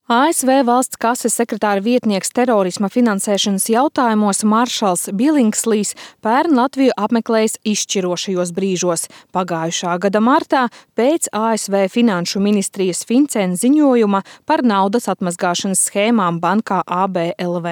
ASV valsts kases sekretāra vietnieks terorisma finansēšanas jautājumos Maršals Billingslīs pērn Latviju apmeklējis izšķirošajos brīžos. Pagājušā gada martā pēc ASV Finanšu ministrijas FinCEN ziņojuma par naudas atmazgāšanas schēmām bankā ABLV.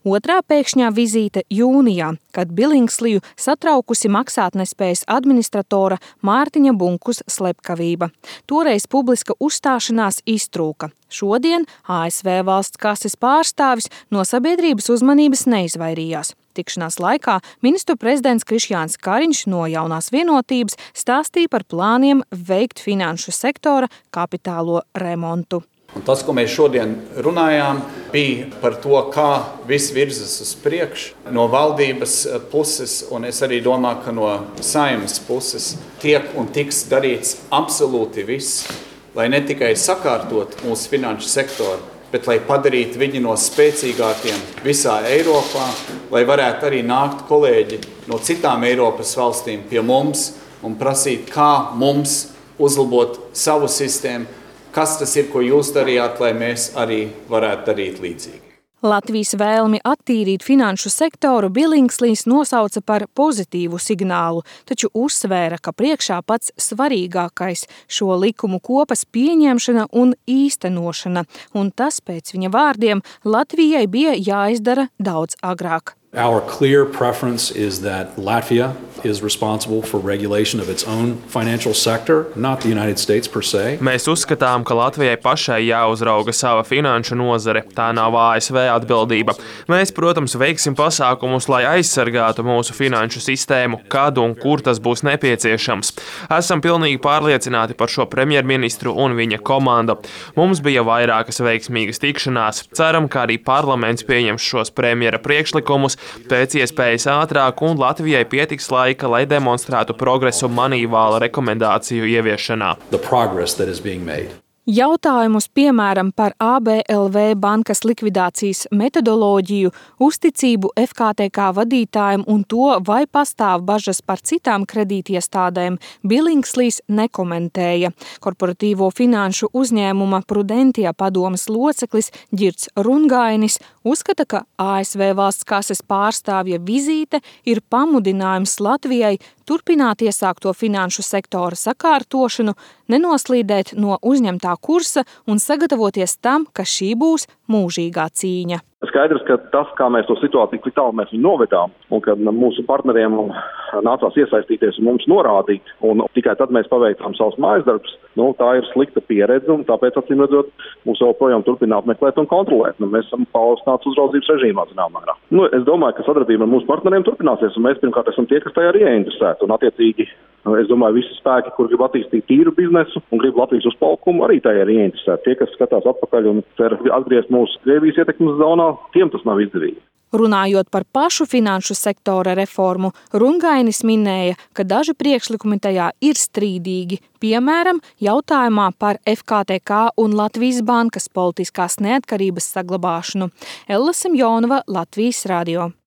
Otrā pēkšņā vizīte jūnijā, kad Billingsliju satraukusi maksātnespējas administratora Mārtiņa Bunkus slepkavība. Toreiz publiska uzstāšanās iztrūka. Šodien ASV valsts kases pārstāvis no sabiedrības uzmanības neizvairījās. Tikšanās laikā ministru prezidents Krišjāns Kariņš no Jaunās vienotības stāstīja par plāniem veikt finanšu sektora kapitālo remontu. Un tas, ko mēs šodien runājām, bija par to, kā viss virzas uz priekšu no valdības puses, un es arī domāju, ka no Saeimas puses tiek un tiks darīts absolūti viss, lai ne tikai sakārtot mūsu finanšu sektoru, bet lai padarītu viņu no spēcīgākiem visā Eiropā, lai varētu arī nākt kolēģi no citām Eiropas valstīm pie mums un prasīt, kā mums uzlabot savu sistēmu, kas tas ir, ko jūs darījāt, lai mēs arī varētu darīt līdzīgi. Latvijas vēlmi attīrīt finanšu sektoru Billingslīs nosauca par pozitīvu signālu, taču uzsvēra, ka priekšā pats svarīgākais šo likumu kopas pieņemšana un īstenošana, un tas pēc viņa vārdiem Latvijai bija jāizdara daudz agrāk. Our clear preference is that Latvia is responsible for regulation of its own financial sector, not the United States per se. Mēs uzskatām, ka Latvijai pašai jāuzrauga sava finanšu nozare, tā nav ASV atbildība. Mēs, protams, veiksim pasākumus, lai aizsargātu mūsu finanšu sistēmu, kad un kur tas būs nepieciešams. Esam pilnīgi pārliecināti par šo premjerministru un viņa komandu. Mums bija vairākas veiksmīgas tikšanās. Ceram, ka arī parlaments pieņems šos premjera priekšlikumus pēc iespējas ātrāk, un Latvijai pietiks laika, lai demonstrētu progresu Manīvāla rekomendāciju ieviešanā. Jautājumus, piemēram, par ABLV bankas likvidācijas metodoloģiju, uzticību FKTK vadītājiem un to, vai pastāv bažas par citām kredītiestādēm, Billingslīs nekomentēja. Korporatīvo finanšu uzņēmuma Prudentia padomes loceklis Ģirds Rungainis uzskata, ka ASV valsts kases pārstāvja vizīte ir pamudinājums Latvijai turpināt iesākto finanšu sektora sakārtošanu, nenoslīdēt no uzņemtā kursa un sagatavoties tam, ka šī būs mūžīgā cīņa. Skaidrs, ka tas, kā mēs to situāciju tik tālu mēs viņu novedām, un kad mūsu partneriem nācās iesaistīties un mums norādīt, un tikai tad mēs paveicām savus mājas darbus, tā ir slikta pieredze, un tāpēc, acīm redzot, mūs joprojām turpina apmeklēt un kontrolēt. Mēs esam paaugstināts uzraudzības režīmā, zināmā mērā. Es domāju, ka sadarbība ar mūsu partneriem turpināsies, un mēs pirmkārt esam tie, kas tajā arī ieinteresēti, un attiecīgi, es domāju, visi spēki, kur grib attīstīt tīru biznesu un grib Latvijas uzpalkumu, arī tajā ir ieinteresēti. Tie, kas skatās atpakaļ un cer atgriezt mūsu Krievijas ietekmes zonā, tiem tas nav izdevīgi. Runājot par pašu finanšu sektora reformu, Rungainis minēja, ka daži priekšlikumi tajā ir strīdīgi, piemēram, jautājumā par FKTK un Latvijas bankas politiskās neatkarības saglabāšanu. Ella Semjonova, Latvijas radio.